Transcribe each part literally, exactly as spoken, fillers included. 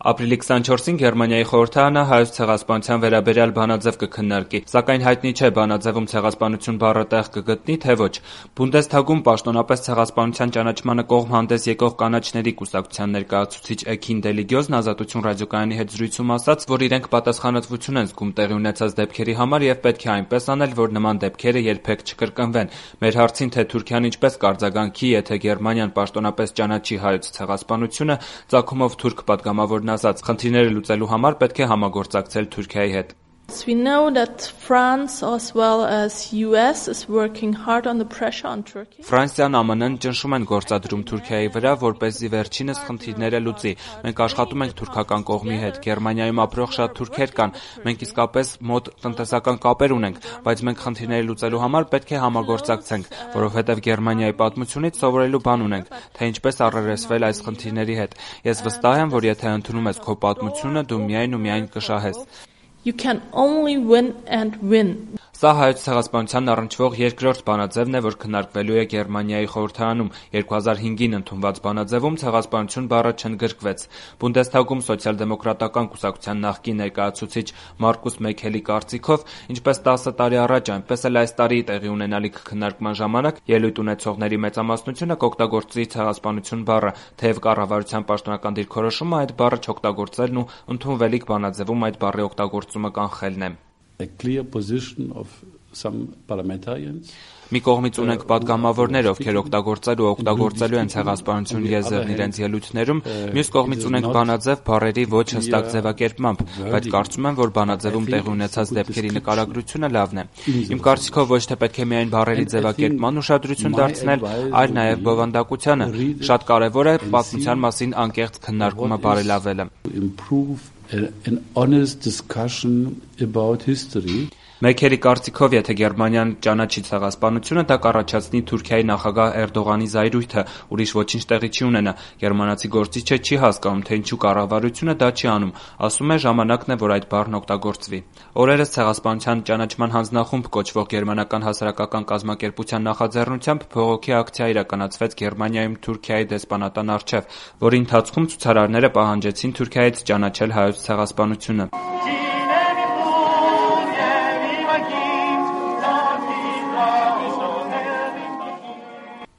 Ապրիլի քսանչորսին Գերմանիայի խորհրդարանը հայոց ցեղասպանության վերաբերյալ բանաձև կքննարկի, սակայն հայտնի չէ բանաձևում ցեղասպանություն բառը տեղ կգտնի, թե ոչ։ Բունդեսթագում պաշտոնապես ցեղասպանության ճանաչմանը կողմ հանդես եկող կանաչների կուսակցության ներկայացուցիչ Էքին Դելիգյոզն Ազատություն ռադիոկայանի հետ զրույցում ասաց, որ իրենք պատասխանատվություն են զգում տեղի ունեցած դեպքերի համար եւ պետք է այնպես անել, որ նման դեպքերը երբեք չկրկնվեն։ Մեր հարցին, թե Թուրքիան ինչպես կարձագանքի, եթե Գերմանիան պաշտոնապես ճանաչի հայոց ցեղասպանությունը, ծագումով թուրք պատգամավորն ասաց, խնդիրները լուծելու համար պետք է համագործակցել Թուրքիայի հետ։ We know that France as well as U S is working hard on the pressure on Turkey. Ֆրանսիան, Α Մ Ն-ն ճնշում են գործադրում Թուրքիայի վրա, որպեսզի վերջինս խնդիրները լուծի։ Մենք աշխատում ենք թուրքական կողմի հետ։ Գերմանիայում ապրող շատ թուրքեր կան։ Մենք իսկապես մոտ տնտեսական կապեր ունենք, բայց մենք խնդիրները լուծելու համար պետք է համագործակցենք, որովհետև Գերմանիայի պատմությունից սովորելու բան ունենք, թե ինչպես առերեսվել այս խնդիրների հետ։ Ես վստահ եմ, որ եթե ընդունում ես քո պատմությունը, դու միայն ու միայն կշահես։ You can only win and win. Սա հայոց ցեղասպանությանն առնչվող երկրորդ բանաձևն է, որ քննարկվելու է Գերմանիայի խորհրդարանում։ երկու հազար հինգին ընդունված բանաձևում ցեղասպանություն բառը չընդգրկվեց։ Բունդեսթագում սոցիալ-դեմոկրատական կուսակցության նախկին ներկայացուցիչ Մարկուս Մեքելի կարծիքով, ինչպես տասը տարի առաջ, այնպես էլ այս տարի տեղի ունենալիք քննարկման ժամանակ ելույթ ունեցողների մեծամասնությունը կօգտագործի ցեղասպանություն բառը, թեև կառավարության պաշտոնական դիրքորոշումը այդ բառը չօգտագործելն ու ընդունվելիք բանաձևում այդ բառի օգտագործումը կանխելն է։ A clear position of some parliamentarians. Մի կողմից ունենք պատգամավորներ, ովքեր օգտագործել ու օգտագործելու են ցեղասպանություն եզրն իրենց ելույթներում, մյուս կողմից ունենք բանաձև բառերի ոչ հստակ ձևակերպմամբ, բայց կարծում եմ, որ բանաձևում տեղի ունեցած դեպքերի նկարագրությունը լավն է։ Իմ կարծիքով ոչ թե պետք է միայն բառերի ձևակերպման ուշադրություն դարձնել, այլ նաև բովանդակությանը։ Շատ կարևոր է պատմության մասին անկեղծ քննարկումը բարելավելը։ An honest discussion about history. Մեքերի կարծիքով, եթե Գերմանիան ճանաչի ցեղասպանությունը, դա կառաջացնի Թուրքիայի նախագահ Էրդողանի զայրույթը, ուրիշ ոչինչ տեղի չի ունենա։ Գերմանացի գործիչը չի հասկանում, թե ինչու կառավարությունը դա չի անում։ Ասում է, ժամանակն է, որ այդ բառն օգտագործվի։ Օրերս ցեղասպանության ճանաչման հանձնախումբ կոչվող գերմանական հասարակական կազմակերպության նախաձեռնությամբ բողոքի ակցիա իրականացվեց Գերմանիայում Թուրքիայի դեսպանատան առջև, որի ընթացքում ցուցարարները պահանջեցին Թուրքիայից ճանաչել հայոց ցեղասպանությունը։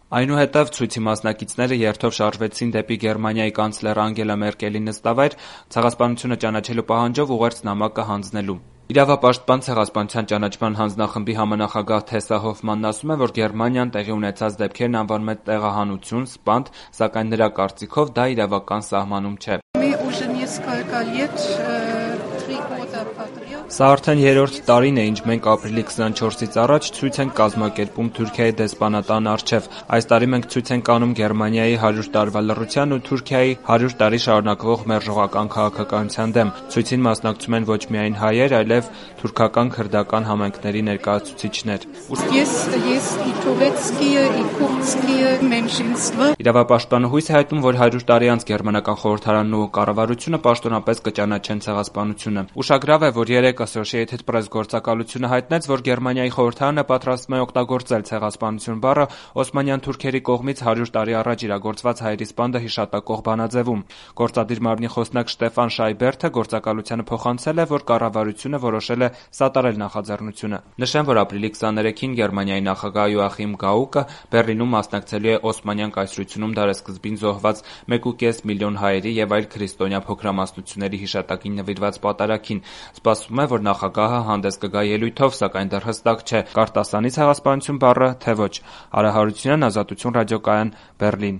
Այնուհետև ցույցի մասնակիցները երթով շարժվեցին դեպի Գերմանիայի կանցլեր Անգելա Մերկելի նստավայր, ցեղասպանությունը ճանաչելու պահանջով ուղերձ նամակը հանձնելու։ Իրավապաշտպան ցեղասպանության ճանաչման հանձնախմբի համանախագահ Թեսա Հոֆմանն ասում է, որ Գերմանիան տեղի ունեցած դեպքերն անվանում է տեղահանություն, սպանդ, սակայն նրա կարծիքով դա իրավական սահմանում չէ։ Սա արդեն երրորդ տարին է, ինչ մենք ապրիլի քսանչորսից առաջ ցույց ենք կազմակերպում Թուրքիայի դեսպանատան առջև։ Այս տարի մենք ցույց ենք անում Գերմանիայի հարյուր տարվա լռության ու Թուրքիայի հարյուր տարի շարունակվող մերժողական քաղաքականության դեմ։ Ցույցին մասնակցում են ոչ միայն հայեր, այլև թուրքական քրդական համայնքների ներկայացուցիչներ։ Իրավապաշտպանը հույս է հայտնում, որ հարյուր տարի անց Գերմանական խորհրդարանն ու կառավարությունը պաշտոնապես կճանաչեն ցեղասպանությունը։ Ուշագրավ է, որ երեկ Associated Press գործակալությունը հայտնեց, որ Գերմանիայի խորհրդարանը պատրաստվում է օգտագործել ցեղասպանություն բառը օսմանյան թուրքերի կողմից հարյուր տարի առաջ իրագործված հայերի սպանդը հիշատակող բանաձևում։ Գործադիր մարմնի խոսնակ Շտեֆան Շայբերթը գործակալությանը փոխանցել է, որ կառավարությունը որոշել է սատարել նախաձեռնությունը։ Նշեմ, որ ապրիլի քսաներեքին Գերմանիայի նախագահ Յոախիմ Գաուկը Բեռլինում մասնակցելու է օսմանյան կայսրությունում դարեսկզբին զոհված մեկ ու կես միլիոն հայերի եւ այլ քրիստոնյա փոքրամասնությունների հիշատակին նվիրված պատարագին։ Սպասվում է, որ նախագահը հանդես կգա ելույթով, սակայն դեռ հստակ չէ՝ կարտասանի ցեղասպանություն բառը, թե ոչ։ Արա Հարությունյան, Ազատություն ռադիոկայան, Բեռլին։